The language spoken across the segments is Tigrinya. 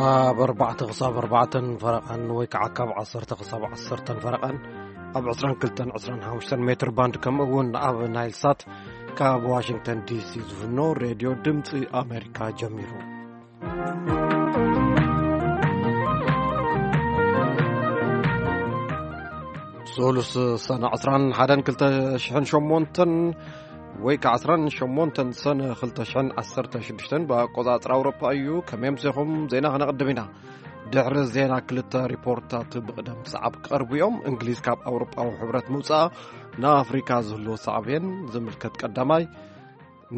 ካብ ኣርባዕተ ክሳብ ኣርባዕተን ፈረቓን ወይ ከዓ ካብ ዓሰርተ ክሳብ ዓሰርተን ፈረቓን ኣብ ዕስራን ክልተን ዕስራን ሓሙሽተን ሜትር ባንድ፣ ከምኡ እውን ኣብ ናይል ሳት ካብ ዋሽንግተን ዲሲ ዝፍኖ ሬድዮ ድምፂ ኣሜሪካ ጀሚሩ። ሶሉስ ሰነ ዕስራን ሓደን ክልተ ሽሕን ሸሞንተን ወይ ከዓ ዕስራን ሸሞንተን ሰነ ክልተ ሽሕን ዓሰርተ ሽዱሽተን ብኣቆፃፅራ ኣውሮፓ እዩ። ከመይ ኣምሲኹም? ዜና ክነቕድም ኢና። ድሕሪ ዜና ክልተ ሪፖርታት ብቕደም ሰዓብ ክቐርቡ እዮም። እንግሊዝ ካብ ኣውሮፓዊ ሕብረት ምውፃኣ ንኣፍሪካ ዝህልዎ ሳዕቤን ዝምልከት ቀዳማይ፣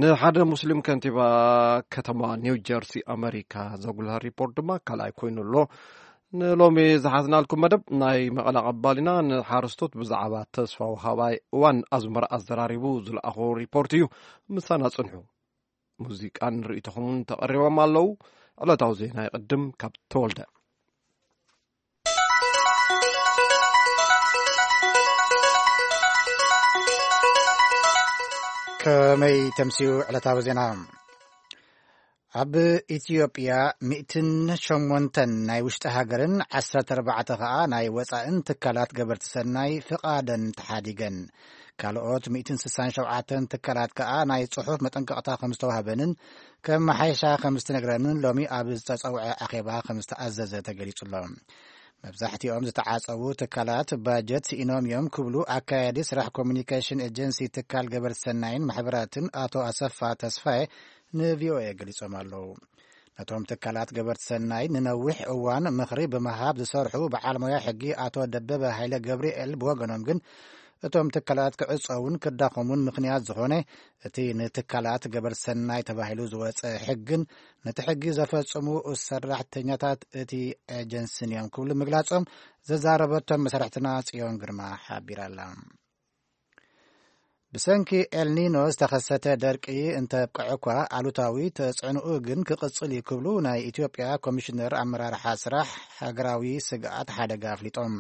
ንሓደ ሙስሊም ከንቲባ ከተማ ኒው ጀርሲ ኣመሪካ ዘጉልህ ሪፖርት ድማ ካልኣይ ኮይኑ ኣሎ። ንሎሚ ዝሓዝናልኩም መደብ ናይ መቐለ ቀባሊና ንሓረስቶት ብዛዕባ ተስፋ ወሃባይ እዋን ኣዝመራ ኣዘራሪቡ ዝለኣኾ ሪፖርት እዩ። ምሳና ጽንሑ። ሙዚቃን ርእይቶኹምን ተቐሪቦም ኣለዉ። ዕለታዊ ዜና ይቕድም ካብ ተወልደ። ከመይ ተምስዩ ዕለታዊ ዜና? ኣብ ኢትዮጵያ ሚእትን ሸሞንተን ናይ ውሽጢ ሃገርን ዓሰርተ ኣርባዕተ ከኣ ናይ ወጻእን ትካላት ገበርቲ ሰናይ ፍቓደን ተሓዲገን። ካልኦት ሚእትን ስሳን ሸውዓተን ትካላት ከኣ ናይ ጽሑፍ መጠንቀቕታ ከም ዝተዋህበንን ከመሓይሻ ከም ዝተነግረንን ሎሚ ኣብ ዝተጸውዐ ኣኼባ ከም ዝተኣዘዘ ተገሊጹ ኣሎ። መብዛሕትኦም ዝተዓጸዉ ትካላት ባጀት ስኢኖም እዮም ክብሉ ኣካያዲ ስራሕ ኮሚኒኬሽን ኤጀንሲ ትካል ገበርቲ ሰናይን ማሕበራትን ኣቶ ኣሰፋ ተስፋዬ ንቪኦኤ ገሊጾም ኣለዉ። ነቶም ትካላት ገበርቲ ሰናይ ንነዊሕ እዋን ምኽሪ ብምሃብ ዝሰርሑ በዓል ሞያ ሕጊ ኣቶ ደበበ ሃይለ ገብርኤል ብወገኖም ግን፣ እቶም ትካላት ክዕጸውን ክዳኸሙን ምኽንያት ዝኾነ እቲ ንትካላት ገበርቲ ሰናይ ተባሂሉ ዝወጸ ሕግን ነቲ ሕጊ ዘፈጽሙ ሰራሕተኛታት እቲ ኤጀንስን እዮም ክብሉ ምግላጾም ዘዛረበቶም መሰርሕትና ጽዮን ግርማ ሓቢራ ኣላ። ብሰንኪ ኤልኒኖ ዝተኸሰተ ደርቂ እንተብቅዐ እኳ፣ ኣሉታዊ ተጽዕኖኡ ግን ክቕጽል እዩ ክብሉ ናይ ኢትዮጵያ ኮሚሽነር ኣመራርሓ ስራሕ ሃገራዊ ስግኣት ሓደጋ ኣፍሊጦም።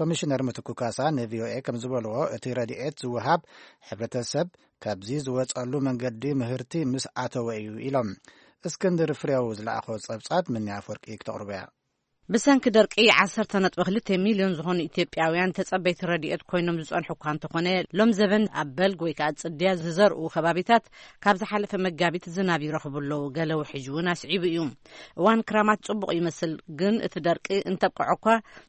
ኮሚሽነር ምትኩ ካሳ ንቪኦኤ ከም ዝበልዎ፣ እቲ ረድኤት ዝወሃብ ሕብረተሰብ ካብዚ ዝወጸሉ መንገዲ ምህርቲ ምስ ኣተወ እዩ ኢሎም። እስክንድር ፍሬው ዝለኣኾ ጸብጻብ ምንያ ኣፍወርቂ ክተቕርቦ እያ። ብሰንኪ ደርቂ ዓሰርተ ነጥቢ ክልተ ሚልዮን ዝኾኑ ኢትዮጵያውያን ተጸበይቲ ረድኤት ኮይኖም ዝጸንሑ እኳ እንተኾነ፣ ሎም ዘበን ኣብ በልግ ወይ ከዓ ጽድያ ዝዘርኡ ከባቢታት ካብ ዝሓለፈ መጋቢት ዝናብ ይረኽቡ ኣለዉ። ገለ ውሕጅ እውን ኣስዒቡ እዩ። እዋን ክራማት ጽቡቕ ይመስል፣ ግን እቲ ደርቂ እንተብቅዖ እኳ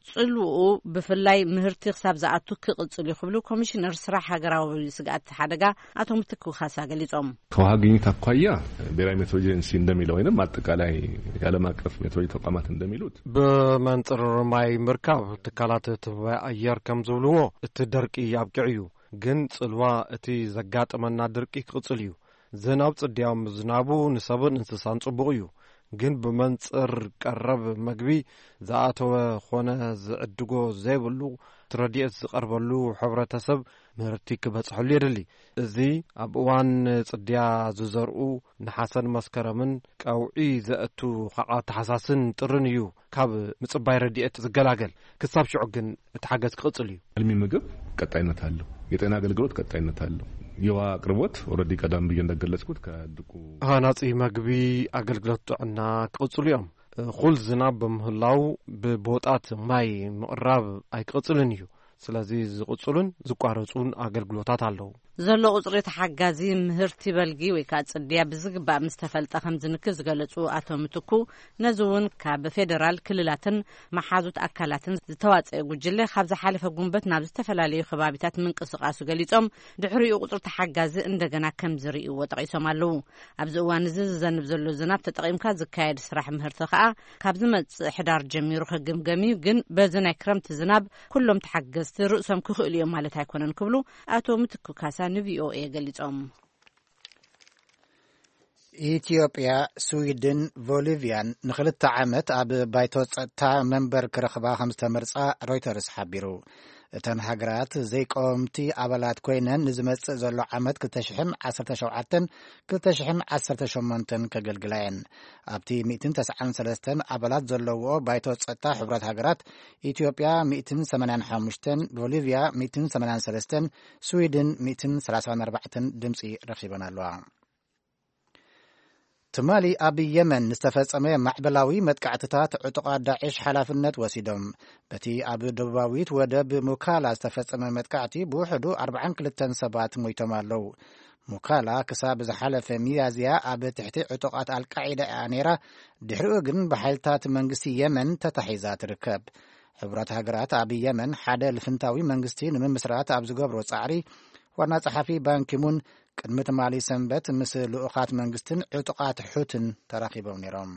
ጽልውኡ ብፍላይ ምህርቲ ክሳብ ዝኣቱ ክቕጽል እዩ ክብሉ ኮሚሽነር ስራሕ ሃገራዊ ስግኣት ሓደጋ ኣቶ ምትኩ ካሳ ገሊጾም። ከውሃ ግኝት ኣኳያ ብሔራዊ ሜትሮሎጂ ኤጀንሲ እንደሚለው ወይም አጠቃላይ የዓለም አቀፍ ሜትሮሎጂ ተቋማት እንደሚሉት ብመንጽር ማይ ምርካብ ትካላት ትንበያ ኣየር ከም ዝብልዎ፣ እቲ ደርቂ ኣብቂዑ እዩ። ግን ጽልዋ እቲ ዘጋጠመና ድርቂ ክቕጽል እዩ። ዝናብ ጽድያም ዝናቡ ንሰብን እንስሳን ጽቡቕ እዩ። ግን ብመንጽር ቀረብ መግቢ ዝኣተወ ኾነ ዝዕድጎ ዘይብሉ ረድኤት ዝቐርበሉ ሕብረተሰብ ምህርቲ ክበጽሐሉ የድሊ። እዚ ኣብ እዋን ጽድያ ዝዘርኡ ነሓሰን መስከረምን ቀውዒ ዘእቱ ከዓ ተሓሳስን ጥርን እዩ ካብ ምጽባይ ረድኤት ዝገላገል። ክሳብ ሽዑ ግን እቲ ሓገዝ ክቕጽል እዩ። አልሚ ምግብ ቀጣይነት አለው። የጤና አገልግሎት ቀጣይነት አለው። የውሃ አቅርቦት ኦልሬዲ ቀደም ብዬ እንደገለጽኩት ከድቁ ሃናጺ መግቢ ኣገልግሎት ጥዕና ክቕጽሉ እዮም። እኹል ዝናብ ብምህላው ብቦጣት ማይ ምቕራብ ኣይክቕጽልን እዩ። ስለዚ ዝቕጽሉን ዝቋረጹን ኣገልግሎታት ኣለዉ። ዘሎ ቁጽሪ ተሓጋዚ ምህርቲ በልጊ ወይ ከዓ ጽድያ ብዝግባእ ምስ ተፈልጠ ከም ዝንክብ ዝገለጹ ኣቶ ምትኩ፣ ነዚ እውን ካብ ፌደራል ክልላትን መሓዙት ኣካላትን ዝተዋጸአ ጉጅለ ካብ ዝሓለፈ ጉንበት ናብ ዝተፈላለዩ ከባቢታት ምንቅስቃሱ ገሊጾም፣ ድሕሪኡ ቁጽሪ ተሓጋዚ እንደገና ከም ዝርእይዎ ጠቒሶም ኣለዉ። ኣብዚ እዋን እዚ ዝዘንብ ዘሎ ዝናብ ተጠቒምካ ዝካየድ ስራሕ ምህርቲ ከኣ ካብ ዝመጽእ ሕዳር ጀሚሩ ክግምገም እዩ፣ ግን በዚ ናይ ክረምቲ ዝናብ ኩሎም ተሓገዝቲ ርእሶም ክኽእሉ እዮም ማለት ኣይኮነን ክብሉ ኣቶ ምትኩ ካሳ ንቪኦኤ ገሊጾም። ኢትዮጵያ፣ ስዊድን፣ ቦሊቪያን ንክልተ ዓመት ኣብ ባይቶ ጸጥታ መንበር ክረኽባ ከም ዝተመርጻ ሮይተርስ ሓቢሩ። እተን ሃገራት ዘይቀወምቲ ኣባላት ኮይነን ንዝመጽእ ዘሎ ዓመት ክልተ ሽሕን ዓሰርተ ሸውዓተን ክልተ ሽሕን ዓሰርተ ሸሞንተን ከገልግላ እየን። ኣብቲ ሚእትን ተስዓን ሰለስተን ኣባላት ዘለዎ ባይቶ ጸጥታ ሕቡራት ሃገራት፣ ኢትዮጵያ ሚእትን ሰማንያን ሓሙሽተን፣ ቦሊቪያ ሚእትን ሰማንያን ሰለስተን፣ ስዊድን ሚእትን ሰላሳን ኣርባዕተን ድምጺ ረኺበን ኣለዋ። ትማሊ ኣብ የመን ዝተፈጸመ ማዕበላዊ መጥቃዕትታት ዕጡቓት ዳዕሽ ሓላፍነት ወሲዶም። በቲ ኣብ ደቡባዊት ወደብ ሙካላ ዝተፈጸመ መጥቃዕቲ ብውሕዱ ኣርብዓን ክልተን ሰባት ሞይቶም ኣለዉ። ሙካላ ክሳብ ዝሓለፈ ሚያዝያ ኣብ ትሕቲ ዕጡቓት ኣልቃዒዳ እያ ነይራ። ድሕሪኡ ግን ብሓይልታት መንግስቲ የመን ተታሒዛ ትርከብ። ሕቡራት ሃገራት ኣብ የመን ሓደ ልፍንታዊ መንግስቲ ንምምስራት ኣብ ዝገብሮ ጻዕሪ፣ ዋና ጸሓፊ ባንኪሙን ቅድሚ ትማሊ ሰንበት ምስ ልኡኻት መንግስትን ዕጡቓት ሑትን ተራኺቦም ነይሮም።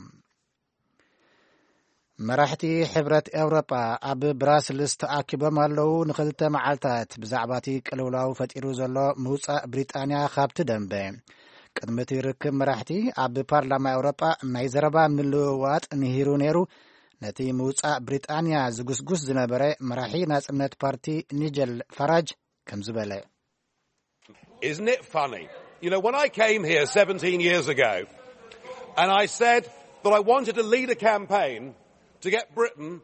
መራሕቲ ሕብረት ኤውሮጳ ኣብ ብራስልስ ተኣኪቦም ኣለዉ። ንኽልተ መዓልታት ብዛዕባ እቲ ቅልውላው ፈጢሩ ዘሎ ምውጻእ ብሪጣንያ ካብቲ ደንበ። ቅድሚ እቲ ርክብ መራሕቲ ኣብ ፓርላማ ኤውሮጳ ናይ ዘረባ ምልውዋጥ ንሂሩ ነይሩ። ነቲ ምውጻእ ብሪጣንያ ዝጉስጉስ ዝነበረ መራሒ ናጽነት ፓርቲ ኒጀል ፋራጅ ከምዚ በለ። Isn't it funny? You know, when I came here seventeen years ago and I said that I wanted to lead a campaign to get Britain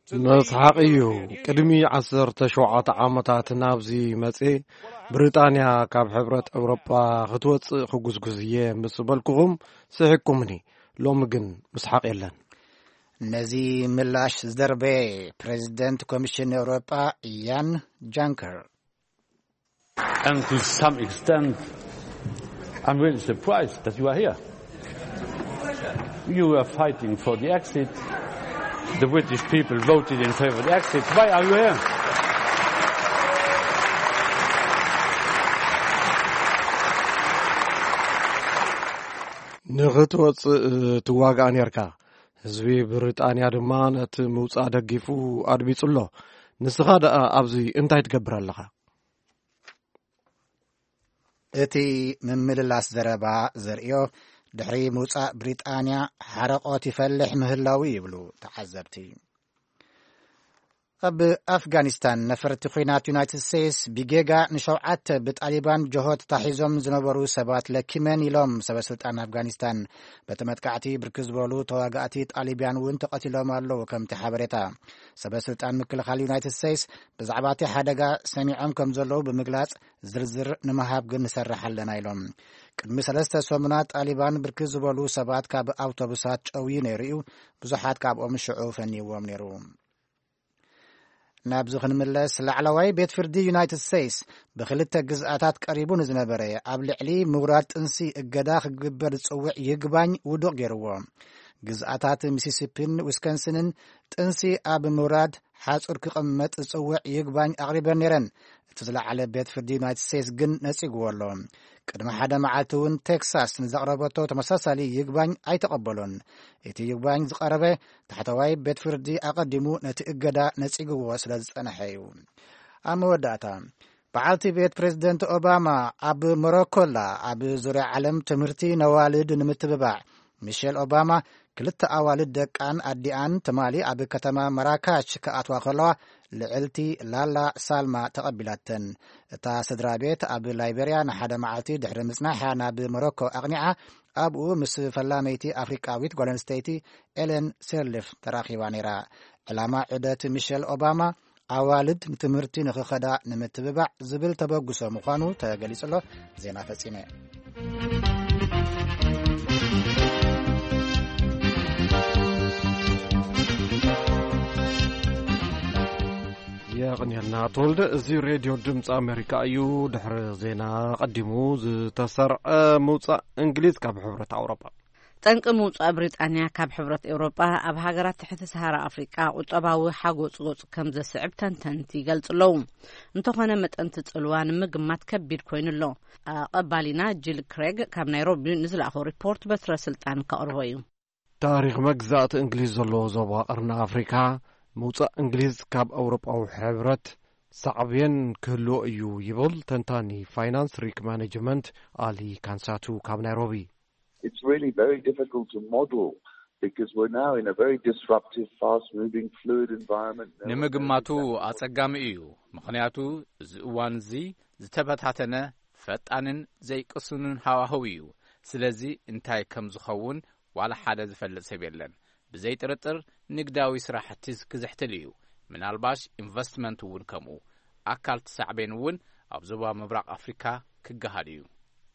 to leave መስሓቕ the እዩ። European Union. ቅድሚ ዓሰርተ ሸውዓተ ዓመታት ናብዚ መጽ ብሪጣንያ ካብ ሕብረት ኤውሮጳ ክትወጽእ ክጉዝጉዝ እየ ምስ በልኩኹም ስሒቅኩምኒ። ሎሚ ግን ምስሓቕ የለን። ነዚ ምላሽ ዝደርበየ ፕሬዚደንት ኮሚሽን ኤውሮጳ ያን ጃንከር። And to some extent, I'm really surprised that you are here. You were fighting for the exit. The British people voted in favor of the exit. Why are you here? ንኽትወጽእ ትዋጋእ ኔርካ። ህዝቢ ብሪጣንያ ድማ ነቲ ምውጻእ ደጊፉ ኣድሚጹ ኣሎ። ንስኻ ደኣ ኣብዚ እንታይ ትገብር ኣለኻ? እቲ ምምልላስ ዘረባ ዘርእዮ፣ ድሕሪ ምውጻእ ብሪጣንያ ሓረቆት ይፈልሕ ምህላው ይብሉ ተዓዘብቲ። ኣብ ኣፍጋኒስታን ነፈርቲ ኲናት ዩናይትድ ስቴትስ ብጌጋ ንሸውዓተ ብጣሊባን ጀሆ ተታሒዞም ዝነበሩ ሰባት ለኪመን ኢሎም ሰበ ስልጣን ኣፍጋኒስታን። በቲ መጥቃዕቲ ብርክት ዝበሉ ተዋጋእቲ ጣሊባን እውን ተቐቲሎም ኣለዉ። ከምቲ ሓበሬታ፣ ሰበ ስልጣን ምክልኻል ዩናይትድ ስቴትስ ብዛዕባ እቲ ሓደጋ ሰሚዖም ከም ዘለዉ ብምግላጽ፣ ዝርዝር ንምሃብ ግን ንሰርሕ ኣለና ኢሎም። ቅድሚ ሰለስተ ሰሙናት ጣሊባን ብርክት ዝበሉ ሰባት ካብ ኣውቶቡሳት ጨውዩ ነይሩ እዩ። ብዙሓት ካብኦም ሽዑ ፈንይዎም ነይሩ። ናብዚ ክንምለስ፣ ላዕለዋይ ቤት ፍርዲ ዩናይትድ ስቴትስ ብክልተ ግዝኣታት ቀሪቡ ንዝነበረ ኣብ ልዕሊ ምውራድ ጥንሲ እገዳ ክግበር ዝጽውዕ ይግባኝ ውዱቕ ገይርዎ። ግዝኣታት ሚሲሲፒን ዊስኮንሲንን ጥንሲ ኣብ ምውራድ ሓጹር ክቕመጥ ዝጽውዕ ይግባኝ ኣቕሪበን ነይረን። እቲ ዝለዓለ ቤት ፍርዲ ዩናይትድ ስቴትስ ግን ነጺግዎ ኣሎ። ቅድሚ ሓደ መዓልቲ እውን ቴክሳስ ንዘቕረበቶ ተመሳሳሊ ይግባኝ ኣይተቐበሎን። እቲ ይግባኝ ዝቐረበ ታሕተዋይ ቤት ፍርዲ ኣቐዲሙ ነቲ እገዳ ነጺግዎ ስለ ዝጸንሐ እዩ። ኣብ መወዳእታ፣ በዓልቲ ቤት ፕሬዚደንት ኦባማ ኣብ ሞሮኮ ኣላ። ኣብ ዙርያ ዓለም ትምህርቲ ነዋልድ ንምትብባዕ፣ ሚሼል ኦባማ ክልተ ኣዋልድ ደቃን ኣዲኣን ትማሊ ኣብ ከተማ መራካሽ ክኣትዋ ከለዋ፣ ልዕልቲ ላላ ሳልማ ተቐቢላተን። እታ ስድራ ቤት ኣብ ላይቤርያ ንሓደ መዓልቲ ድሕሪ ምጽናሕ ናብ ሞሮኮ ኣቕኒዓ። ኣብኡ ምስ ፈላመይቲ ኣፍሪቃዊት ጓል ኣንስተይቲ ኤሌን ሴርሊፍ ተራኺባ ነይራ። ዕላማ ዑደት ሚሸል ኦባማ፣ ኣዋልድ ንትምህርቲ ንኽኸዳ ንምትብባዕ ዝብል ተበግሶ ምዃኑ ተገሊጹ ኣሎ። ዜና ፈጺመ። የቕንየልና ተወልደ። እዚ ሬድዮ ድምፂ ኣሜሪካ እዩ። ድሕሪ ዜና ቀዲሙ ዝተሰርዐ ምውፃእ እንግሊዝ ካብ ሕብረት ኣውሮጳ። ጠንቂ ምውፃእ ብሪጣንያ ካብ ሕብረት ኤውሮጳ ኣብ ሃገራት ትሕቲ ሰሃራ ኣፍሪቃ ቁጠባዊ ሓጎፅጎፅ ከም ዘስዕብ ተንተንቲ ይገልፁ ኣለዉ። እንተኾነ መጠን እቲ ፅልዋ ንምግማት ከቢድ ኮይኑ ኣሎ። ኣቐባሊና ጂል ክሬግ ካብ ናይሮቢ ንዝለኣኾ ሪፖርት በትረ ስልጣን ከቕርቦ እዩ። ታሪኽ መግዛእቲ እንግሊዝ ዘለዎ ዞባ ቀርኒ ኣፍሪካ ምውፃእ እንግሊዝ ካብ ኣውሮጳዊ ሕብረት ሳዕቤን ክህልዎ እዩ ይብል ተንታኒ ፋይናንስ ሪክ ማኔጅመንት ኣሊ ካንሳቱ ካብ ናይሮቢ። It's really very difficult to model because we're now in a very disruptive, fast-moving, fluid environment. No one knows ንምግማቱ exactly what ኣጸጋሚ እዩ። ምኽንያቱ እዚ እዋን እዚ ዝተበታተነ፣ ፈጣንን ዘይቅሱንን ሃዋህው እዩ። ስለዚ እንታይ ከም ዝኸውን ዋላ ሓደ ዝፈልጥ ሰብ የለን። ብዘይ ጥርጥር ንግዳዊ ስራሕቲ ክዝሕትል እዩ። ምናልባሽ ኢንቨስትመንት እውን ከምኡ። ኣካል እቲ ሳዕቤን እውን ኣብ ዞባ ምብራቕ ኣፍሪካ ክገሃድ እዩ።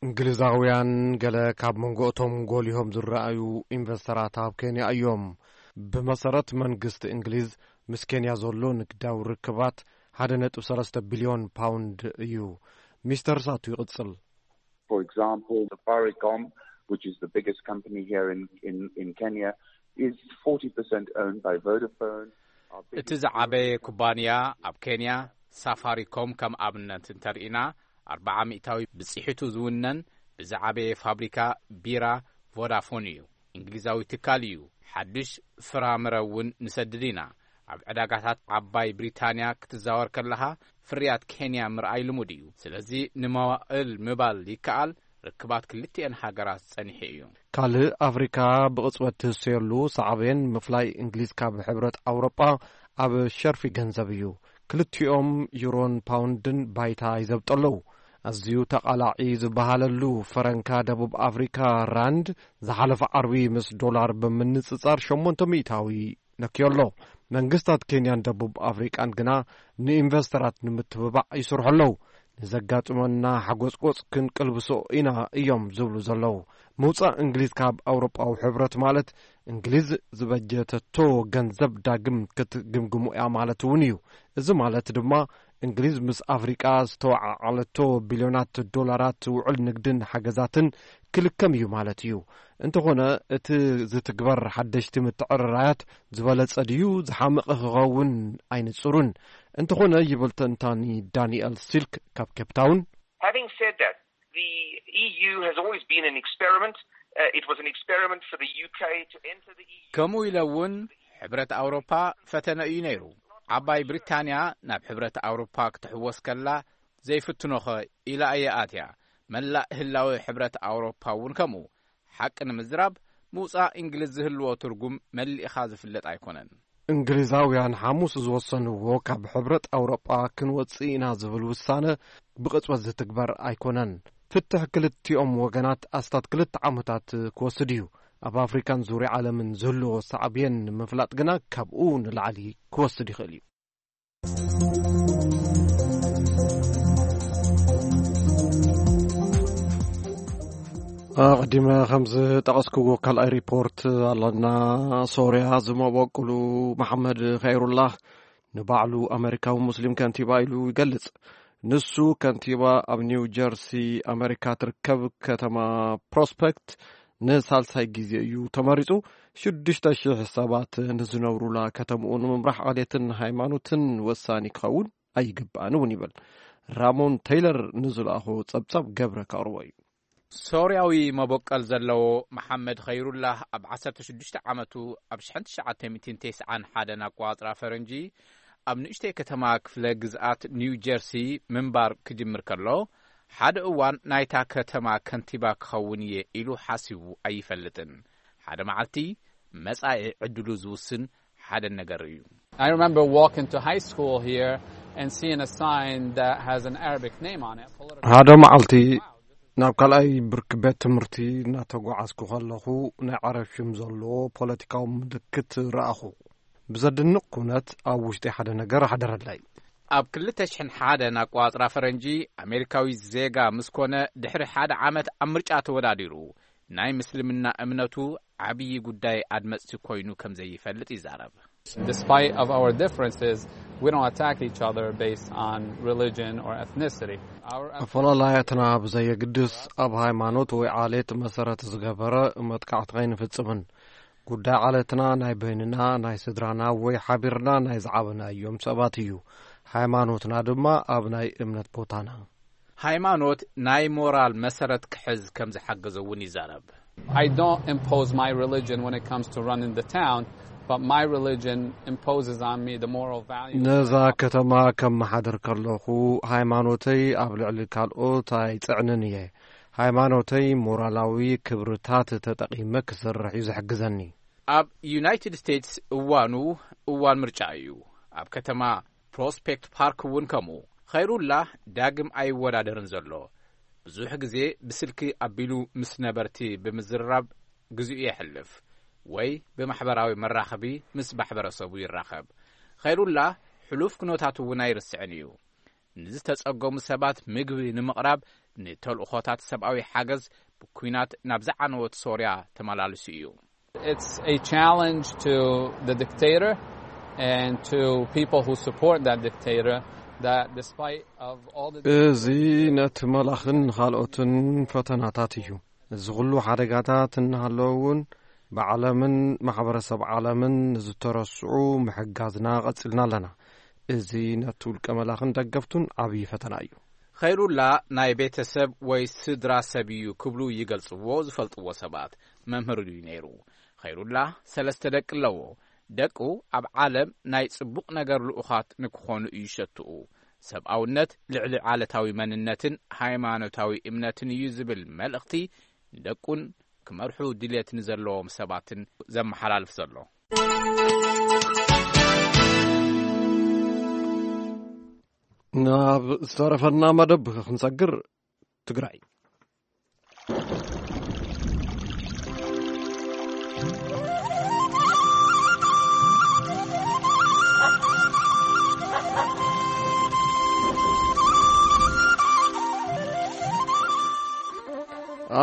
እንግሊዛውያን ገለ ካብ መንጎ እቶም ጎሊሆም ዝረኣዩ ኢንቨስተራት ኣብ ኬንያ እዮም። ብመሰረት መንግስቲ እንግሊዝ፣ ምስ ኬንያ ዘሎ ንግዳዊ ርክባት ሓደ ነጥቢ ሰለስተ ቢልዮን ፓውንድ እዩ። ሚስተር ሳቱ ይቕጽል። For example, Safaricom, which is the biggest company here in, in, in Kenya, is forty percent owned by Vodafone. እቲ ዝዓበየ ኩባንያ ኣብ ኬንያ፣ ሳፋሪኮም፣ ከም ኣብነት እንተርኢና፣ ኣርባዓ ሚእታዊ ብጽሒቱ ዝውነን ብዝዓበየ ፋብሪካ ቢራ ቮዳፎን እዩ። እንግሊዛዊ ትካል እዩ። ሓድሽ ፍራምረ እውን ንሰድድ ኢና። ኣብ ዕዳጋታት ዓባይ ብሪታንያ ክትዛወር ከለኻ፣ ፍርያት ኬንያ ምርኣይ ልሙድ እዩ። ስለዚ ንመዋእል ምባል ይከኣል፣ ርክባት ክልቲኤን ሃገራት ጸኒሑ እዩ። ካልእ ኣፍሪካ ብቕጽበት ትህሰየሉ ሳዕቤን ምፍላይ እንግሊዝ ካብ ሕብረት ኣውሮጳ ኣብ ሸርፊ ገንዘብ እዩ። ክልቲኦም ዩሮን ፓውንድን ባይታ ይዘብጡ ኣለዉ። ኣዝዩ ተቓላዒ ዝበሃለሉ ፈረንካ ደቡብ ኣፍሪካ ራንድ ዝሓለፈ ዓርቢ ምስ ዶላር ብምንጽጻር ሸሞንተ ሚእታዊ ነክዮ ኣሎ። መንግስታት ኬንያን ደቡብ ኣፍሪቃን ግና ንኢንቨስተራት ንምትብባዕ ይስርሑ ኣለዉ። ንዘጋጥመና ሓጎጽጎጽ ክንቅልብሶ ኢና እዮም ዝብሉ ዘለዉ። ምውጻእ እንግሊዝ ካብ ኣውሮጳዊ ሕብረት ማለት እንግሊዝ ዝበጀተቶ ገንዘብ ዳግም ክትግምግሙ እያ ማለት እውን እዩ። እዚ ማለት ድማ እንግሊዝ ምስ ኣፍሪቃ ዝተወዓዓለቶ ቢልዮናት ዶላራት ውዕል ንግድን ሓገዛትን ክልከም እዩ ማለት እዩ። እንተኾነ እቲ ዝትግበር ሓደሽቲ ምትዕርራያት ዝበለጸ ድዩ ዝሓመቐ ክኸውን ኣይንጹርን። እንተኾነ ይብል ተንታኒ ዳንኤል ሲልክ ካብ ኬፕታውን፣ Having said that, the E U has always been an experiment. Uh, it was an experiment for the U K to enter the E U. ከምኡ ኢለ እውን ሕብረት ኣውሮፓ ፈተነ እዩ ነይሩ። ዓባይ ብሪታንያ ናብ ሕብረት ኣውሮፓ ክትሕወስ ከላ ዘይፍትኖኸ ኢላ እየ ኣትያ። መላእ ህላወ ሕብረት ኣውሮፓ እውን ከምኡ። ሓቂ ንምዝራብ ምውጻእ እንግሊዝ ዝህልዎ ትርጉም መሊእኻ ዝፍለጥ ኣይኮነን። እንግሊዛውያን ሓሙስ ዝወሰንዎ ካብ ሕብረት ኣውሮጳ ክንወጽእ ኢና ዝብል ውሳነ ብቕጽበት ዝትግበር ኣይኮነን። ፍትሕ ክልቲኦም ወገናት ኣስታት ክልተ ዓመታት ክወስድ እዩ። ኣብ ኣፍሪካን ዙርያ ዓለምን ዝህልዎ ሳዕብየን ንምፍላጥ ግና ካብኡ ንላዕሊ ክወስድ ይኽእል እዩ። ኣቐዲመ ከም ዝጠቐስክዎ ካልኣይ ሪፖርት ኣለና። ሶርያ ዝመበቅሉ መሓመድ ኸይሩላህ ንባዕሉ ኣመሪካዊ ሙስሊም ከንቲባ ኢሉ ይገልጽ። ንሱ ከንቲባ ኣብ ኒው ጀርሲ ኣመሪካ ትርከብ ከተማ ፕሮስፐክት ንሳልሳይ ግዜ እዩ ተመሪጹ። ሽዱሽተ ሽሕ ሰባት ንዝነብሩላ ከተምኡ ንምምራሕ ዓሌትን ሃይማኖትን ወሳኒ ክኸውን ኣይግባእን እውን ይብል። ራሞን ቴይለር ንዝለኣኾ ጸብጻብ ገብረ ከቕርቦ እዩ። ሶርያዊ መበቀል ዘለዎ መሓመድ ኸይሩላህ ኣብ ዓሰርተ ሽዱሽተ ዓመቱ ኣብ ሽሕን ትሽዓተ ሚእትን ተስዓን ሓደን ኣቋጽራ ፈረንጂ ኣብ ንእሽተይ ከተማ ክፍለ ግዝኣት ኒው ጀርሲ ምንባር ክጅምር ከሎ ሓደ እዋን ናይታ ከተማ ከንቲባ ክኸውን እየ ኢሉ ሓሲቡ ኣይፈልጥን። ሓደ መዓልቲ መጻኢ ዕድሉ ዝውስን ሓደ ነገር እዩ። I remember walking to high school here and seeing a sign that has an Arabic name on it. ሓደ መዓልቲ ናብ ካልኣይ ብርኪ ቤት ትምህርቲ እናተጓዓዝኩ ከለኹ ናይ ዓረብ ሽም ዘለዎ ፖለቲካዊ ምልክት ረኣኹ። ብዘድንቕ ኩነት ኣብ ውሽጢ ሓደ ነገር ኣሕደረለይ። ኣብ ክልተ ሽሕን ሓደን ኣቋጽራ ፈረንጂ ኣሜሪካዊ ዜጋ ምስ ኮነ ድሕሪ ሓደ ዓመት ኣብ ምርጫ ተወዳዲሩ ናይ ምስልምና እምነቱ ዓብዪ ጉዳይ ኣድመጽቲ ኮይኑ ከም ዘይፈልጥ ይዛረብ። Despite of our differences, we don't attack each other based on religion or ethnicity. Our ኣፈላላያትና ብዘየግድስ ኣብ ሃይማኖት ወይ ዓሌት መሰረት ዝገበረ መጥቃዕቲ ኣይንፍጽምን። ጉዳይ ዓሌትና ናይ በይንና፣ ናይ ስድራና ወይ ሓቢርና ናይ ዝዓበናዮም ሰባት እዩ። ሃይማኖትና ድማ ኣብ ናይ እምነት ቦታና። ሃይማኖት ናይ ሞራል መሰረት ክሕዝ ከም ዝሓገዞ እውን ይዛረብ። I don't impose my religion when it comes to running the town, but my religion imposes on me the moral values. ነዛ ከተማ ከመሓድር ከለኹ ሃይማኖተይ ኣብ ልዕሊ ካልኦት ኣይጽዕንን እየ። ሃይማኖተይ ሞራላዊ ክብርታት ተጠቒመ ክሰርሕ እዩ ዝሕግዘኒ። ኣብ ዩናይትድ ስቴትስ እዋኑ እዋን ምርጫ እዩ። ኣብ ከተማ ፕሮስፔክት ፓርክ እውን ከምኡ። ኸይሩላህ ዳግም ኣይወዳደርን ዘሎ። ብዙሕ ግዜ ብስልኪ ኣቢሉ ምስ ነበርቲ ብምዝርራብ ግዜኡ የሕልፍ ወይ ብማሕበራዊ መራኸቢ ምስ ማሕበረሰቡ ይራኸብ። ኸይሩላህ ሕሉፍ ኩነታቱ እውን ኣይርስዕን እዩ። ንዝተጸገሙ ሰባት ምግቢ ንምቕራብ ንተልእኾታት ሰብኣዊ ሓገዝ ብኲናት ናብ ዝዓነወት ሶርያ ተመላልሱ እዩ። It's a challenge to the dictator and to people who support that dictator that despite of all the እዚ ነቲ መላኽን ካልኦትን ፈተናታት እዩ። እዚ ኩሉ ሓደጋታት እናሃለወ እውን ብዓለምን ማሕበረሰብ ዓለምን ንዝተረስዑ ምሕጋዝና ቀጺልና ኣለና። እዚ ነቲ ውልቀ መላኽን ደገፍቱን ዓብዪ ፈተና እዩ። ኸይሩላ ናይ ቤተሰብ ወይ ስድራ ሰብ እዩ ክብሉ ይገልጽዎ ዝፈልጥዎ ሰባት። መምህር እዩ ነይሩ። ኸይሩላ ሰለስተ ደቂ ኣለዎ። ደቁ ኣብ ዓለም ናይ ጽቡቕ ነገር ልኡኻት ንክኾኑ እዩ ሸትኡ። ሰብኣውነት ልዕሊ ዓለታዊ መንነትን ሃይማኖታዊ እምነትን እዩ ዝብል መልእኽቲ ንደቁን ክመርሑ ድልየት ንዘለዎም ሰባትን ዘመሓላልፍ ዘሎ። ናብ ዝተረፈና መደብ ክንሰግር ትግራይ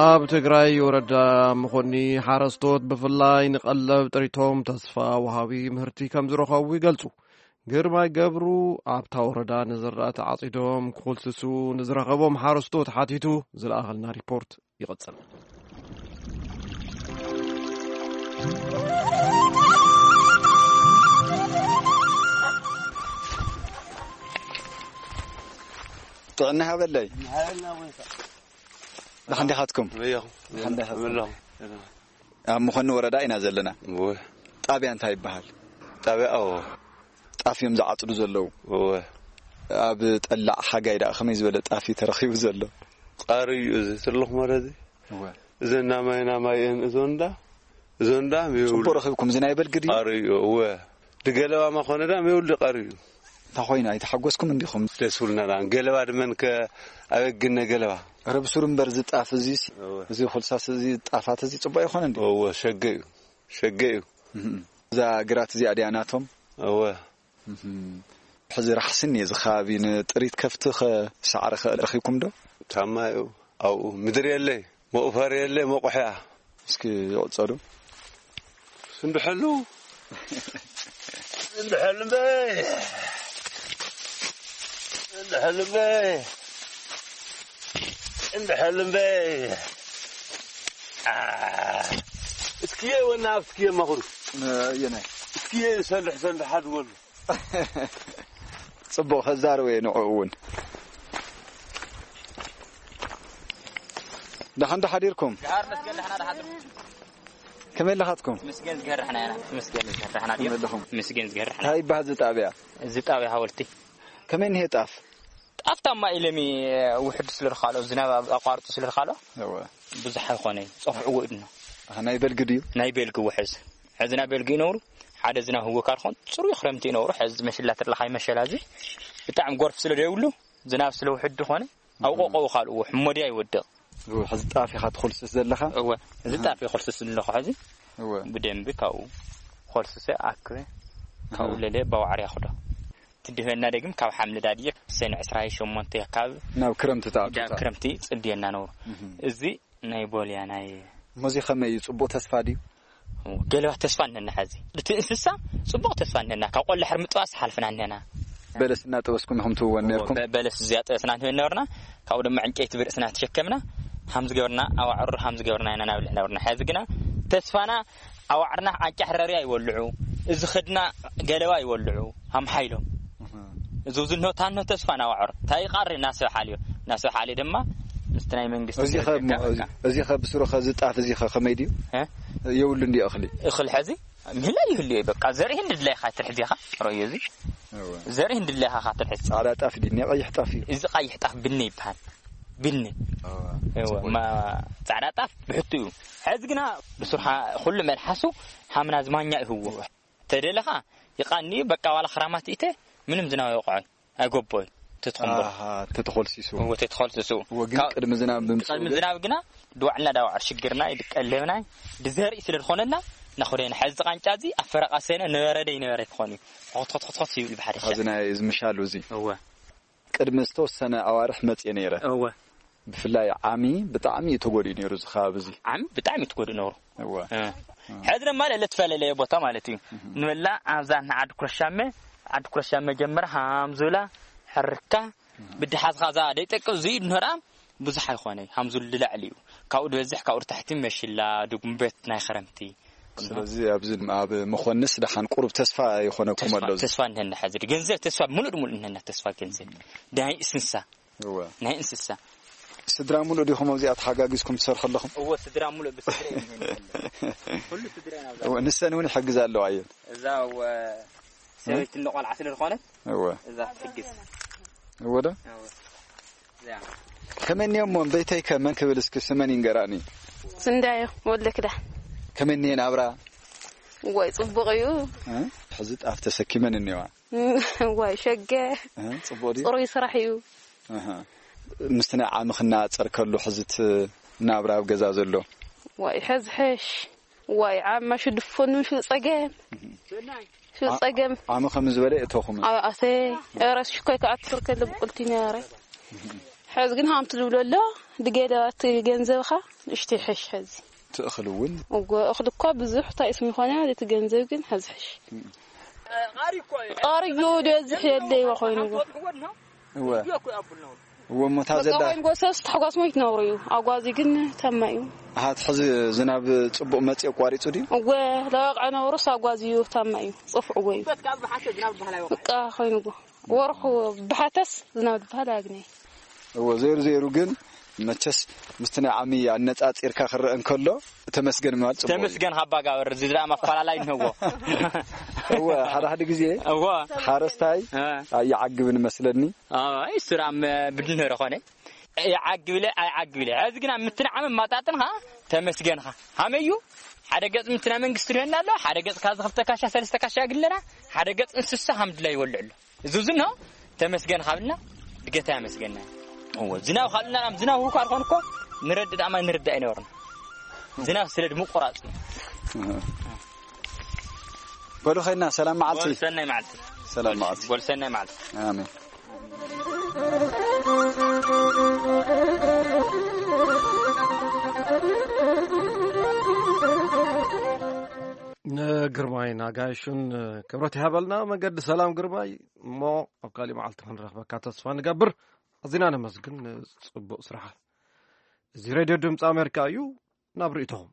ኣብ ትግራይ ወረዳ መኾኒ ሓረስቶት ብፍላይ ንቐለብ ጥሪቶም ተስፋ ወሃቢ ምህርቲ ከም ዝረኸቡ ይገልጹ። ግርማይ ገብሩ ኣብታ ወረዳ ንዝራእቲ ዓጺዶም ክኹልስሱ ንዝረኸቦም ሓረስቶት ሓቲቱ ዝለኣኸልና ሪፖርት ይቕጽል። ጥዕና ሃበለይ። ደሓን ዲኻትኩም? ደሓን ዲኻ? ኣብ ምኾኒ ወረዳ ኢና ዘለና። ጣብያ እንታይ ይበሃል? ጣብያ ኣዎ። ጣፍ እዮም ዝዓፅዱ ዘለዉ። ኣብ ጠላዕ ሓጋይ ደኣ ከመይ ዝበለ ጣፍ እዩ ተረኺቡ ዘሎ? ቃሪ እዩ እዚ ትልኽ መረ እዚ። እዘን ናማይ ናማይ እየን እዞን ዳ እዞን ዳ ጽቡቅ ረኺብኩም። እዚ ናይ በልጊ ድዩ? ቃሪ እዩ እወ። ድገለባ ማኾነ ዳ ሜውል ቃሪ እዩ። እንታ ኾይኑ ኣይተሓጎስኩም እንዲኹም? ደስ ብልና ዳ ገለባ ድመን ከ ኣበግነ ገለባ። ረብሱር እምበር ዝጣፍ እዚስ እወ። እዚ ኩልሳስ እዚ ጣፋት እዚ ጽቡቅ ይኾነ እንዲ? እወ ሸገ እዩ። ሸገ እዩ። እዛ ግራት እዚኣ ድያ ናቶም? እወ። ሕዚ ራሕስን እዩ እዚ ከባቢ ንጥሪት ከፍቲ ኸ ሳዕሪ ኸ ረኺብኩም ዶ? ታማ እዩ ኣብኡ ምድሪ የለይ መቑፈር የለይ መቑሕያ። እስኪ ይቕጸሉ። ስንድሐሉ ስንድሐሉ እምበይ ስንድሐሉ እምበይ ስንድሐሉ እምበይ እስኪየ ወና እስኪየ ማኹሩ የናይ እስኪየ ሰልሕ ሰልሕ ሓድወሉ ጽቡቕ ከዛርብ እየ ንዕኡ እውን። ደሓን ዶ ሓዲርኩም? ከመይ ኣለኻትኩም? ምስገን ዝገርሕና ኢና። ምስገን ዝገርሕና ድዩ? ከመይ ኣለኹም? ምስገን ዝገርሕና። እንታይ ይበሃል እዚ ጣብያ? እዚ ጣብያ ሃወልቲ። ከመይ እንሄ ጣፍ? ጣፍ ታማ ኢለሚ ውሕድ ስለ ዝኻሎ ዝናብ ኣቋርጡ ስለ ዝኻሎ ብዙሕ ኣይኾነ ጸፍዕዎ ኢድና። ናይ በልጊ ድዩ? ናይ በልጊ ውሕዝ። ሕዚ ናይ በልጊ ይነብሩ ሓደ ዝናብ ህወካር ኾን ጽሩይ ክረምቲ ይነብሩ። ሕዚ መሽላ ትርለኻይ መሸላ እዚ ብጣዕሚ ጎርፍ ስለ ደይብሉ ዝናብ ስለ ውሕድ ዝኾነ ኣብ ቆቆው ካልእዎ ሕሞዲ ኣይወድቕ። ሕዚ ጣፍ ኢኻ ትኾልስስ ዘለኻ? እወ፣ እዚ ጣፍ ይኾልስስ ዘለኹ ሕዚ። እወ። ብደንቢ ካብኡ ኾልስሰ ኣክበ ካብኡ ለለ ባዋዕር ያኽዶ። ትድህበና ደግም ካብ ሓምለ ዳድየ ሰነ ዕስራ ሸሞንተ ካብ ናብ ክረምቲ ተኣቱ። ክረምቲ ጽድየና ነብሩ። እዚ ናይ ቦልያ ናይ እሞ እዚ ከመይ እዩ? ጽቡቕ ተስፋ ድዩ? ገለባ ተስፋ እነና። ሕዚ እቲ እንስሳ ጽቡቕ ተስፋ እነና። ካብ ቆላ ሕር ምጥባስ ሓልፍና እነና። በለስ እናጠበስኩም ኢኹም ትህወን ነርኩም? በ- በለስ እዚኣ ጠበስና ንህበን ነበርና። ካብኡ ድማ ዕንጨይቲ ብርእስና ተሸከምና ሃም ዝገበርና ኣዋዕሩ ሃም ዝገበርና ኢና ናብልዕ ነበርና። ሕዚ ግና ተስፋና ኣዋዕርና ዓንጫ ሕረርያ ይወልዑ። እዚ ኸድና ገለባ ይወልዑ ሃም ሓይሎም። እዚ ዝንሆ ታንሆ ተስፋ ናዋዕር ታይ ቃሪ ናሰብ ሓልዮ ናሰብ ሓልዮ ድማ ምስቲ ናይ መንግስቲ እዚ ኸ ደረጃ እሞ- እዚ- በቃ። እዚ ኸ ብስሩ ኸ ዝጣፍ እዚ ኸ ከመይ ድዩ? እ? የብሉ እንዲ እኽሊ እኽል ሕዚ ምህላ ይህልዮ በቃ ዘርኢ እንድድላይኻ ትርሕዚኻ ረዮ እዚ እወ። ዘርኢ እንድድላይኻ ካትርሕዝ ጻዕዳ ጣፍ ድዩ ናይ ቀይሕ ጣፍ እዩ? እዚ ቀይሕ ጣፍ ብኒ ይበሃል። ብኒ እወ። እወ፣ ጽቡቅ። ማ- ጻዕዳ ጣፍ ብሕቱ እዩ። ሕዚ ግና ብስርሓ ኩሉ መልሓሱ ሃምና ዝማኛ ይህዎ። ተደለኻ ይቃኒ በቃ ዋላ ክራማት ኢተ ምንም ዝናብ ይወቅዖ ኣይጎቦይ። ተትኹምብር ኣሃ ተተኾልሲሱ እወ ተትኾልስሱ እወ ግን ቅድሚ ዝናብ ምምፅኡ ቅድሚ ግን ዝናብ ግና ድዋዕልና ዳዋዕ ሽግርና ይድቀለብና ድዘርኢ ስለ ዝኾነና ናኹደና ሕዚ ቃንጫ እዚ ኣብ ፈረቃ ሰነ ነበረ ደ ይነበረ ክኾን እዩ። ኾትኾትኾትኾት ይብል ብሓደ ሸዕ። እዚ ናይ እዚ ምሻሉ እዚ እወ ቅድሚ ዝተወሰነ ኣዋርሕ መጽየ ነይረ። እወ። ብፍላይ ዓሚ ብጣዕሚ እዩ ተጎዲኡ ነይሩ እዚ ከባቢ እዚ። ዓሚ ብጣዕሚ እዩ ተጎዲኡ ነይሩ። እወ። እ። ሕዚ ድማ ልዕሊ እተፈላለየ ቦታ ማለት እዩ። ንበላ ኣብዛ ንዓዲ ኩረሻመ፣ ዓዲ ኩረሻመ ጀምራ ሃምዙላ፣ ሕርካ፣ ብድሓዝኻ እዛ ደይጠቅብ ዝይድ ንህራ ብዙሕ ኣይኾነ። ሃምዙል ልላዕሊ እዩ። ካብኡ ዝበዝሕ ካብኡ ታሕቲ መሽላ፣ ድጉምበት ናይ ኸረምቲ። ስለዚ ኣብዚ ኣብ መኾንስ ደሓን ቁሩብ ተስፋ ይኾነኩም ተስፋ፣ ኣሎ እዚ። ተስፋ እንሄና ሕዚ። ገንዘብ ተስፋ፣ ምሉእ ብምሉእ እንሄና ተስፋ ገንዘብ። ናይ እንስሳ። እወ። ናይ እንስሳ። ስድራ ሙሉእ ዲኹም ኣብዚኣ ተሓጋጊዝኩም ትሰርሑ ኣለኹም? እወ፣ ስድራ ሙሉእ ብስድራ እዩ እንሄና ዘሎ። ኩሉ ስድራ ኢና ኣብዛ። እወ፣ ንሰን እውን ይሕግዛ ኣለዋ እየን። እዛ እወ፣ ሰበይቲ እንደ ቆልዓ ስለ ዝኾነት፣ እወ። እዛ ትሕግዝ። እወ ዶ? እወ። እዚኣ። ከመንዮ እሞ፣ እምበይተይ ከ መን ክብል እስኪ ስመን ይንገራኒ። ስንዳዮ ወልደ ክዳ። ከመንዮ ናብራ? ዋይ፣ ጽቡቕ እዩ። እ? ሕዚ ጣፍ ተሰኪመን እኒዋ። ዋይ፣ ሸገ። እ? ጽቡቕ ድዩ? ጽሩይ ስራሕ እዩ። ኣሃ። ምስቲ ናይ ዓሚ ክነጻጸር ከሎ ሕዚ እቲ ናብራ ኣብ ገዛ ዘሎ? ዋይ፣ ሕዚ ሕሽ። ዋይ፣ ዓማ ሽድፎን ምሽ ጸገም። ሽው ጸገም። ዓሚ ከም ዝበለ እቶኹም? ኣብ ኣሰይ፣ ኧረ ሽኮይ ክኣትር ከሎ ብቁልቲ ነረ። ሕዚ ግን ሃምቲ ዝብሎ ኣሎ፣ ድገለ እቲ ገንዘብኻ ንእሽተይ ሕሽ ሕዚ። እቲ እኽሊ እውን? እወ፣ እኽሊ እኳ ብዙሕ እንታይ እስሚ ይኾነ፣ እቲ ገንዘብ ግን ሕዚ ሕሽ። ቃርዩ ዝበዝሕ የለይዋ ኮይኑዎ። እወ። እወ፣ እሞ እታ በቃ ዘላ ኮይኑዎ ሰስ ተሕጓስ ሞይት ነብሩ እዩ። ኣጓዚ ግን ታማ እዩ። ኣሃ፣ እቲ ሕዚ ዝናብ ጽቡቕ መጽእ ኣቋሪጹ ድዩ? እወ፣ ለዋቕዐ ነብሩስ ኣጓዚ እዩ፣ ታማ እዩ። ጽፍዕዎ እዩ። በቃ ኮይኑዎ። ወርሑ ብሓተስ ዝናብ ዝበሃል ኣያግነይ። እወ፣ ዘይሩ ዘይሩ ግን መቸስ ምስቲ ናይ ዓሚ ኣነጻጺርካ ክረአ እንከሎ ተመስገን ምባል ጽቡቕ እዩ። ተመስገን ሃባ ጋበር፣ እዚ ደኣ ማፈላለይ እንሆዎ። እወ፣ ሓደ ሓደ ግዜ እወ። ሓረስታይ እ። ኣይዓግብን መስለኒ። ኣይ፣ ስራም ብድንህረ ኾነ። ይዓግብለ ኣይዓግብለ። ሕዚ ግና ምትንዓም ማጣጥንኻ ተመስገንኻ። ሃመዩ ሓደ ገጽ ምትና መንግስቲ ርሄና ኣሎ፣ ሓደ ገጽ ካዚ ክልተ ካሻ፣ ሰለስተ ካሻ ግለና፣ ሓደ ገጽ እንስሳ ሃምድላ ይወልዕ ኣሎ። እዚ እዚ ነው። ተመስገን ካብልና ድገታ ያመስገና። እዎ፣ ዝናብ ካልእና ናም ዝናብ ሁሉ ካልኮን እኮ ንረድ ዳማ ንረዳ ኣይነበርና። ዝናብ ስለ ድምቁራጽ። በሉ ኸይና፣ ሰላም መዓልቲ። በሉ ሰናይ መዓልቲ። ሰላም መዓልቲ። በሉ ሰናይ መዓልቲ። ኣሜን። ንግርማይ ናጋይሹን ክብረት ይሃበልና። መገዲ ሰላም ግርማይ፣ እሞ ኣብ ካሊእ መዓልቲ ክንረኽበካ ተስፋ ንገብር። ኣዚና ነመስግን ጽቡቕ ስራሓ። እዚ ሬድዮ ድምፂ ኣሜሪካ እዩ። ናብ ርእይቶኹም።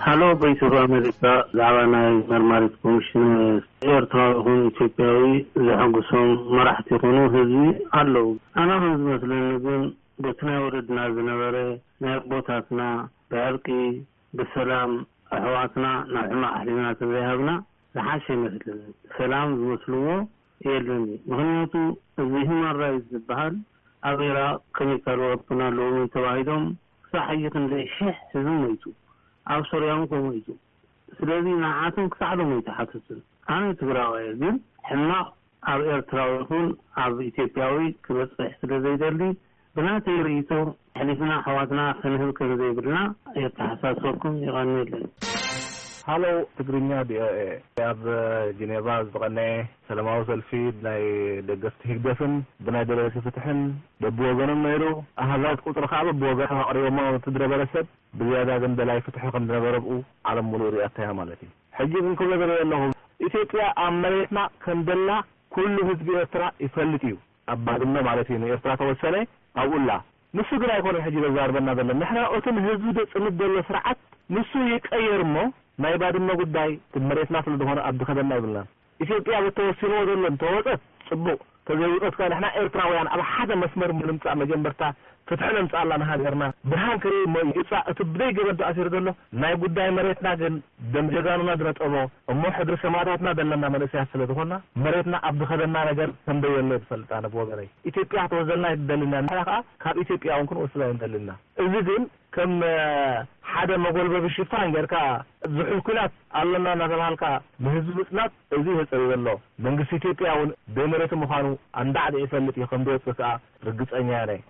ሃሎ፣ ቮይስ ኦፍ ኣሜሪካ፣ ብዛዕባ ናይ መርማሪት ኮሚሽን ኤርትራዊ ይኹን ኢትዮጵያዊ ዘሐጉሶም መራሕቲ ይኹኑ ህዝቢ ኣለዉ። ኣነ ከም ዝመስለኒ ግን በቲ ናይ ወለድና ዝነበረ ናይ ኣቦታትና ብዕርቂ ብሰላም ኣሕዋትና ናብ ሕማቕ ኣሕሊፍና ተዘይሃብና ዝሓሸ ይመስለኒ። ሰላም ዝመስልዎ የለን እዩ። ምኽንያቱ እዚ ሂማን ራይትስ ዝበሃል ኣብ ኢራቕ ኬሚካል ወፐን ኣለዎም እዩ ተባሂሎም ክሳዕ ሕጂ ክንደይ ሽሕ ህዝቢ ሞይቱ። ኣብ ሶርያ እውን ከምኡ ሞይቱ። ስለዚ ንዓቶም ክሳዕ ሎም ኣይተሓተቱን። ኣነ ትግራዋይ እየ፣ ግን ሕማቕ ኣብ ኤርትራዊ ይኹን ኣብ ኢትዮጵያዊ ክበጽሕ ስለ ዘይደሊ ብናተይ ርእይቶ ኣሕሊፍና ኣሕዋትና ክንህብ ከም ዘይብልና የተሓሳስበኩም። የቐንየለይ። ሃሎ ትግርኛ ቪኦኤ። ኣብ ጀኔቫ ዝተቐነየ ሰላማዊ ሰልፊ ብናይ ደገፍቲ ህግደፍን ብናይ ደለይቲ ፍትሕን በብወገኖም ነይሩ። ኣሃዛት ቁጽሪ ከኣ በብወገኖም ኣቕሪቦሞ፣ እቲ ዝነበረ ሰብ ብዝያዳ ግን ደላይ ፍትሒ ከም ዝነበረ ብኡ ዓለም ሙሉእ ሪኣቶ እያ ማለት እዩ። ሕጂ ግን ክብሎ ዝደለየ ኣለኹ፣ ኢትዮጵያ ኣብ መሬትና ከም ደላ ኩሉ ህዝቢ ኤርትራ ይፈልጥ እዩ። ኣብ ባድመ ማለት እዩ ንኤርትራ ተወሰነ፣ ኣብኡ ኣላ። ንሱ ግን ኣይኮነን ሕጂ ዘዛርበና ዘሎ። ንሕና እቲ ንህዝቢ ዘጽንት ዘሎ ስርዓት ንሱ ይቀየር እሞ፣ ናይ ባድመ ጉዳይ እቲ መሬትና ስለ ዝኾነ ኣብ ዝኸደና ይብልናን። ኢትዮጵያ በተወሲንዎ ዘሎ እንተወጸት ጽቡቕ፣ ተዘይወጸት ከኣ ንሕና ኤርትራውያን ኣብ ሓደ መስመር ንምምጻእ መጀመርታ ፍትሒ ነምጽኣላ ንሃገርና። ብርሃን ክርኢ እሞ ይጻእ እቲ ብደይ ገመድ ኣሲሩ ዘሎ። ናይ ጉዳይ መሬትና ግን ደም ጀጋኑና ዝነጠቦ እሞ ሕድሪ ሰማእታትና ዘለና መንእሰያት ስለ ዝኾንና መሬትና ኣብ ዝኸደና ነገር ከም ደየሎ እየ ዝፈልጥ ኣነ ብወገነይ። ኢትዮጵያ ክትወስደልና ኣይትደልን እያ። ንሕና ከኣ ካብ ኢትዮጵያ እውን ክንወስዳ ኣይንደልን ኢና። እዚ ግን ከም፣ እ፣ ሓደ መጎልበቢ ሽፋን ጌርካ ዝሑል ኲናት ኣሎና እናተባሃልካ ንህዝቢ ምጽናት እዚ የጸሪ ዘሎ። መንግስቲ ኢትዮጵያ እውን ደይ መሬቱ ምዃኑ ኣንዳዕዲዑ ይፈልጥ እዩ፣ ከም ዝወጽእ ከኣ ርግጸኛ እየ።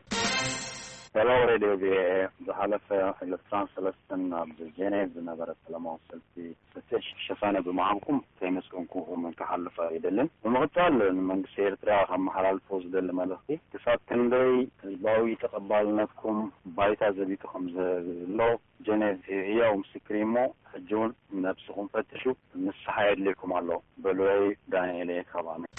ሰላም ሬድዮ ቪኦኤ። ዝሓለፈ ዕለት ትራንስ ሰለስተን ኣብ ጀኔቭ ዝነበረ ሰላማዊ ሰልፊ ፍትሕ ሸፋነ ብምሃብኩም ከይመስገንኩኹም ክሓልፍ ኣይደልን። ብምቕጻል ንመንግስቲ ኤርትራ ከመሓላልፎ ዝደሊ መልእኽቲ፣ ክሳብ ክንደይ ህዝባዊ ተቐባልነትኩም ባይታ ዘቢጡ ከም ዘሎ ጀኔቭ ህያው ምስክር እሞ፣ ሕጂ እውን ነብስኹም ፈትሹ፣ ንስሓ የድልየኩም ኣሎ። በሉለይ፣ ዳንኤል እየ ካብ ኣሜሪካ።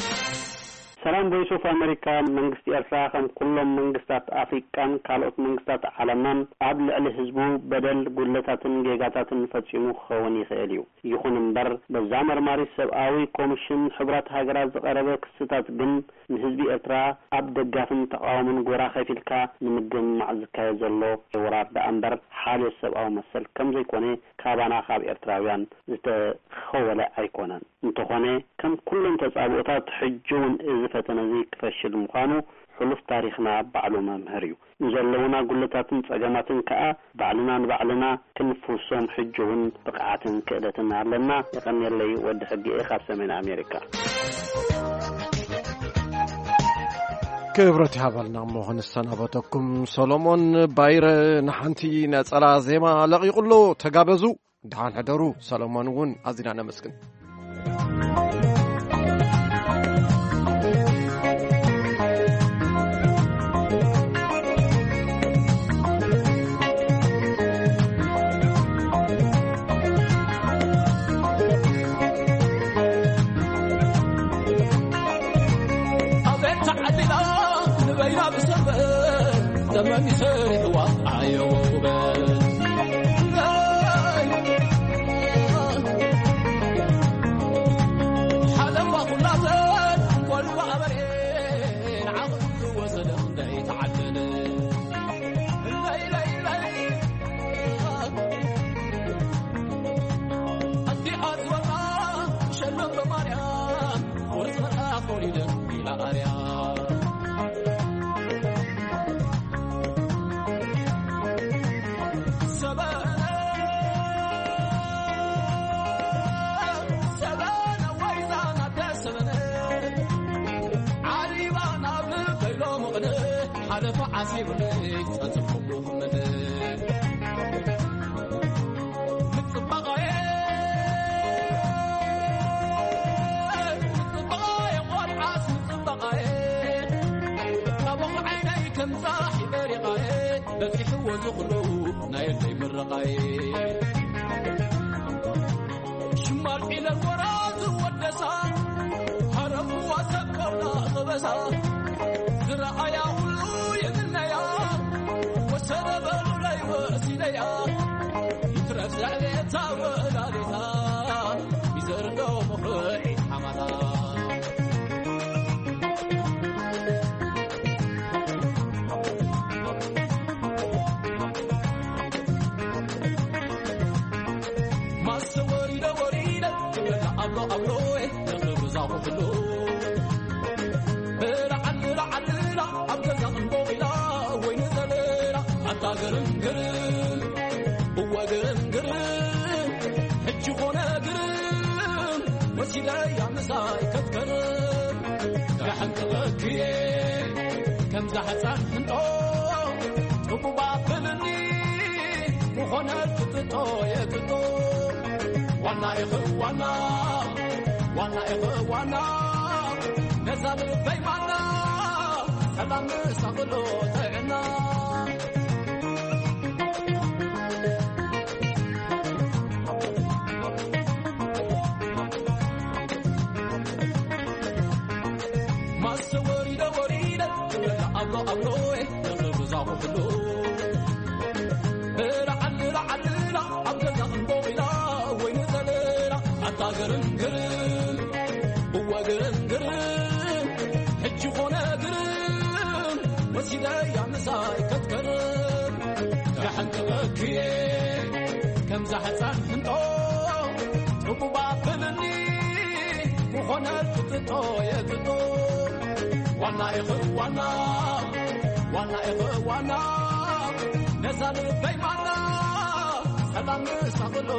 ሰላም ቮይስ ኦፍ ኣሜሪካ። መንግስቲ ኤርትራ ከም ኩሎም መንግስታት ኣፍሪቃን ካልኦት መንግስታት ዓለምናን ኣብ ልዕሊ ህዝቡ በደል፣ ጉድለታትን ጌጋታትን ፈጺሙ ክኸውን ይኽእል እዩ። ይኹን እምበር፣ በዛ መርማሪት ሰብኣዊ ኮሚሽን ሕቡራት ሃገራት ዝቐረበ ክስታት ግን ንህዝቢ ኤርትራ ኣብ ደጋፍን ተቓዋምን ጎራ ከፊልካ ንምግምማዕ ዝካየድ ዘሎ ወራር ደኣ እምበር ሓልዮት ሰብኣዊ መሰል ከም ዘይኮነ ካባና ካብ ኤርትራውያን ዝተኸወለ ኣይኮነን። እንተኾነ፣ ከም ኩሎም ተጻብኦታት፣ ሕጂ እውን እዚ ፈተነ እዚ ክፈሽል ምዃኑ ሕሉፍ ታሪኽና ባዕሉ መምህር እዩ። ንዘለዉና ጉድለታትን ጸገማትን ከኣ ባዕልና ንባዕልና ክንፍውሶም ሕጂ እውን ብቕዓትን ክእለትን ኣለና። የቐንየለይ፣ ወዲ ሕጊ እየ ካብ ሰሜን ኣሜሪካ። ክብረት ይሃበልና እሞ ክንሰናበተኩም፣ ሰሎሞን ባይረ ንሓንቲ ነጸላ ዜማ ለቒቑ ኣሎ። ተጋበዙ። ደሓን ሕደሩ። ሰሎሞን እውን ኣዚና ነመስግን። ኣቤት ተዓሊላ ንበይና ብሰንበት ዘመን ይሰሪሕዋ ኣየወ ውበት። ሓለፋ ኩላተን ቆልባ ኣበሬ ንዓቕሉ ዝወሰደ ክንደይ ተዓደለ። ለይ ለይ ለይ ኣዲኣ ዝበላ ሸሎም በማርያም ወርቂ መልኣኽ ወሊደ ኢላ ኣርያም። ሰበነ፣ ሰበነ፣ ወይዛ ናደ ሰበነ፣ ዓሪባ ናብ ልበይ ሎምቕነ፣ ሓለፋ ዓሲቡኒ ጸጽብኩ ክመነ። ምጽባቐየ፣ ምጽባቐየ፣ ቆልዓስ ምጽባቐየ፣ ካብ ዓይነይ ከም ጻሒ በሪቓየ፣ በጺሕዎ ዝኽሉ ናይ ኣደይ ምርቓየ። ሽማል ዒለል ወራ ዝወደሳ፣ ሃረፍዋ ሰብ ቆላ ኸበሳ፣ ዝረኣያ ኩሉ ይምነያ፣ ወሰደ በሉለይ ወሲደያ፣ ይትረፍ ዘዕቤታ ወላዲታ፣ ይዘርዶ ምኽሪ ሓማታ። ማሰ ወሪደ ወሪደ ትብለና ኣብሎ ኣብሎ፣ ነኽሪ ብዛኹ ኩሉ። ብላዓል ብላዓል ብላ ኣብ ገዛ እንቦቕ ኢላ፣ ወይኒ ዘለላ ኣታ ግርም ግርም፣ እወ ግርም ግርም፣ ሕጂ ኾነ ግርም፣ ወሲደያ ምሳይ ከትከርም። ክሕንጥቐኪ ከምዛ ሕፃን ሕንጦ፣ ጥቡብ ኣፍልኒ ምኾነ ትጥጦ የጥጦ። ዋና ኢኺ ዋና፣ ዋና ኢኺ ዋና፣ ነዛ ልበይ ማና፣ ሰላም ምሳቕሎ ጥዕና። ማሰ ወሪደ ወሪደ ትብለና ኣብሎ ኣብሎ፣ ነኽሪ ብዛኹ ኩሉ። ብላዓል ብላዓል ብላ ኣብ ገዛ እንቦቕ ኢላ፣ ወይኒ ዘለላ ኣታ ግርም ግርም፣ እወ ግርም ግርም፣ ሕጂ ኾነ ግርም፣ ወሲደያ ምሳይ ከትከርም። ክሕንጥቐኪ ከምዛ ሕፃን ሕንጦ፣ ጥቡብ ኣፍልኒ ምኾነ ትጥጦ የጥጦ። ዋና ኢኺ ዋና፣ ዋና ኢኺ ዋና፣ ነዛ ልበይ ማና፣ ሰላም ምሳቕሎ